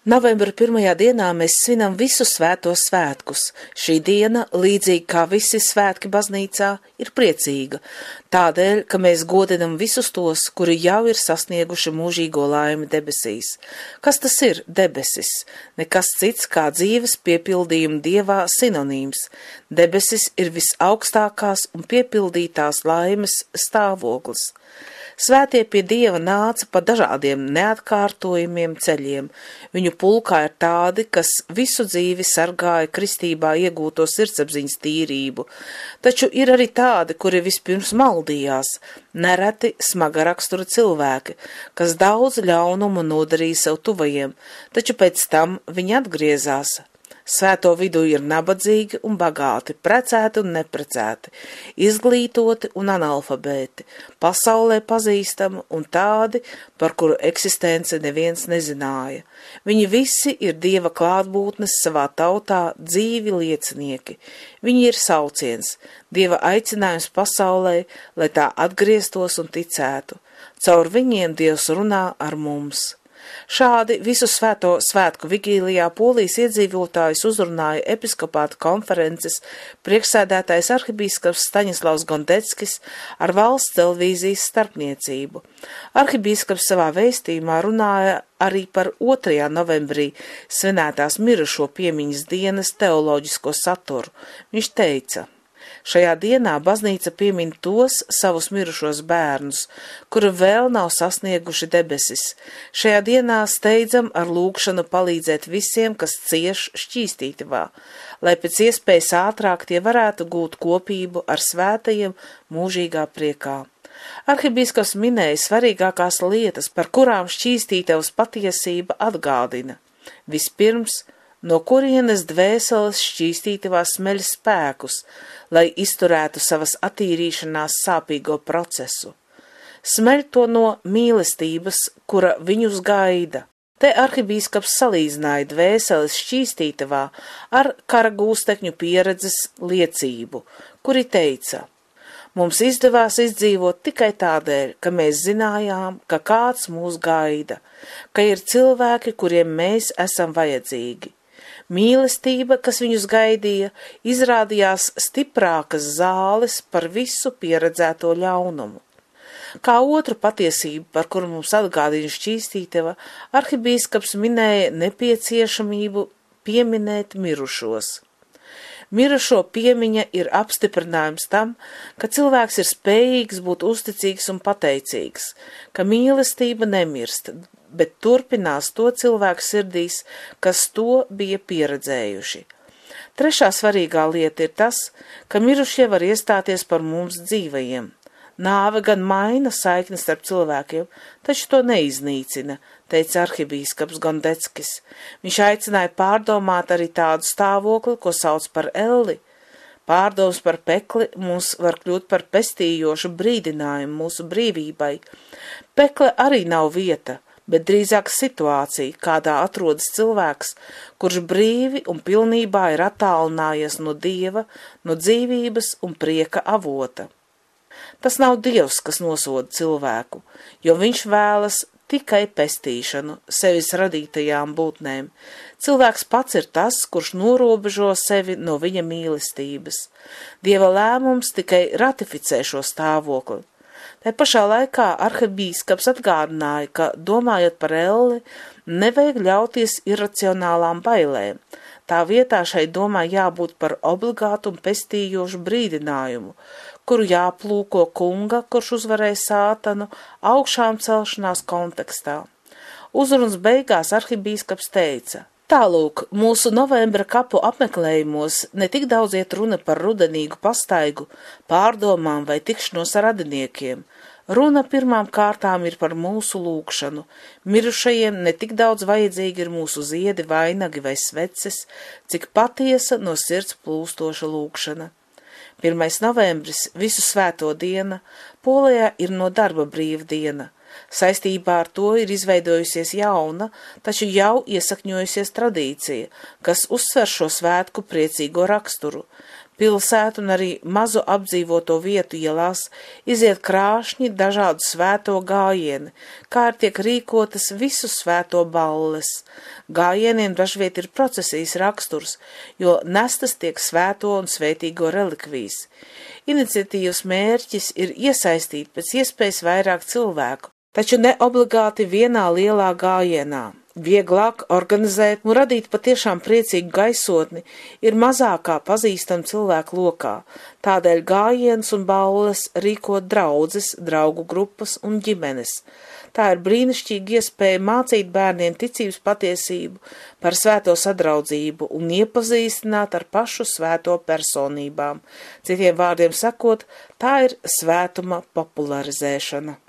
Novembra 1. dienā mēs svinam visu svēto svētkus. Šī diena, līdzīgi kā visi svētki baznīcā, ir priecīga, tādēļ, ka mēs godinam visus tos, kuri jau ir sasnieguši mūžīgo laimi debesīs. Kas tas ir debesis? Nekas cits kā dzīves piepildījuma Dievā sinonīms. Debesis ir visaugstākās un piepildītās laimes stāvoklis. Svētie pie Dieva nāca pa dažādiem neatkārtojumiem ceļiem. Viņu pulkā ir tādi, kas visu dzīvi sargāja kristībā iegūto sirdsapziņas tīrību, taču ir arī tādi, kuri vispirms maldījās, nereti smaga rakstura cilvēki, kas daudz ļaunumu nodarīja sev tuvajiem, taču pēc tam viņi atgriezās. Svēto vidū ir nabadzīgi un bagāti, precēti un neprecēti, izglītoti un analfabēti, pasaulē pazīstami un tādi, par kuru eksistenci neviens nezināja. Viņi visi ir Dieva klātbūtnes savā tautā dzīvi liecinieki. Viņi ir sauciens, Dieva aicinājums pasaulē, lai tā atgrieztos un ticētu. Caur viņiem Dievs runā ar mums. Šādi visu svēto svētku vigīlijā Polijas iedzīvotājus uzrunāja episkopāta konferences priekšsēdētājs arhibīskaps Staņislavs Gondeckis ar valsts televīzijas starpniecību. Arhibīskaps savā vēstījumā runāja arī par 2. novembrī svinētās mirušo piemiņas dienas teoloģisko saturu. Viņš teica: šajā dienā baznīca piemin tos savus mirušos bērnus, kuri vēl nav sasnieguši debesis. Šajā dienā steidzam ar lūgšanu palīdzēt visiem, kas cieš šķīstītavā, lai pēc iespējas ātrāk tie varētu gūt kopību ar svētajiem mūžīgā priekā. Arhibīskaps minēja svarīgākās lietas, par kurām šķīstītavas patiesība atgādina. Vispirms, no kurienes dvēseles šķīstītavā smeļ spēkus, lai izturētu savas attīrīšanās sāpīgo procesu. Smeļ to no mīlestības, kura viņus gaida. Te arhibīskaps salīdzināja dvēseles šķīstītavā ar kara gūstekņu pieredzes liecību, kuri teica: mums izdevās izdzīvot tikai tādēļ, ka mēs zinājām, ka kāds mūs gaida, ka ir cilvēki, kuriem mēs esam vajadzīgi. Mīlestība, kas viņus gaidīja, izrādījās stiprākas zāles par visu pieredzēto ļaunumu. Kā otru patiesību, par kuru mums atgādina šķīstītava, arhibīskaps minēja nepieciešamību pieminēt mirušos. Mirušo piemiņa ir apstiprinājums tam, ka cilvēks ir spējīgs būt uzticīgs un pateicīgs, ka mīlestība nemirst, bet turpinās to cilvēku sirdīs, kas to bija pieredzējuši. Trešā svarīgā lieta ir tas, ka mirušie var iestāties par mums dzīvajiem. Nāve gan maina saiknes starp cilvēkiem, taču to neiznīcina, teica arhibīskaps Gondeckis. Viņš aicināja pārdomāt arī tādu stāvokli, ko sauc par elli. Pārdoms par pekli mums var kļūt par pestījošu brīdinājumu mūsu brīvībai. Pekle arī nav vieta, bet drīzāk situācija, kādā atrodas cilvēks, kurš brīvi un pilnībā ir attālinājies no Dieva, no dzīvības un prieka avota. Tas nav Dievs, kas nosoda cilvēku, jo viņš vēlas tikai pestīšanu sevis radītajām būtnēm. Cilvēks pats ir tas, kurš norobežo sevi no viņa mīlestības. Dieva lēmums tikai ratificē šo stāvokli. Tā pašā laikā arhibīskaps atgādināja, ka, domājot par elli, nevajag ļauties iracionālām bailēm. Tā vietā šai domai jābūt par obligātu un pestījošu brīdinājumu, kuru jāplūko kunga, kurš uzvarēja sātanu, augšām celšanās kontekstā. Uzrunas beigās arhibīskaps teica: tālūk, mūsu novembra kapu apmeklējumos ne tik daudz iet runa par rudenīgu pastaigu, pārdomām vai tikšanos ar radiniekiem. Runa pirmām kārtām ir par mūsu lūgšanu. Mirušajiem ne tik daudz vajadzīgi ir mūsu ziedi, vainagi vai sveces, cik patiesa no sirds plūstoša lūgšana. 1. novembris, visu svēto diena, Polijā ir no darba brīva diena. Saistībā ar to ir izveidojusies jauna, taču jau iesakņojusies tradīcija, kas uzsver šo svētku priecīgo raksturu. pilsētu un arī mazu apdzīvoto vietu ielās iziet krāšņi dažādu svēto gājieni, kā arī tiek rīkotas visu svēto balles. Gājieniem dažviet ir procesijas raksturs, jo nestas tiek svēto un svētīgo relikvijas. Iniciatīvas mērķis ir iesaistīt pēc iespējas vairāk cilvēku, taču ne obligāti vienā lielā gājienā. Vieglāk organizēt un radīt patiešām priecīgu gaisotni ir mazākā pazīstama cilvēku lokā, tādēļ gājiens un balles rīko draudzes, draugu grupas un ģimenes. Tā ir brīnišķīga iespēja mācīt bērniem ticības patiesību par svēto sadraudzību un iepazīstināt ar pašu svēto personībām. Citiem vārdiem sakot, tā ir svētuma popularizēšana.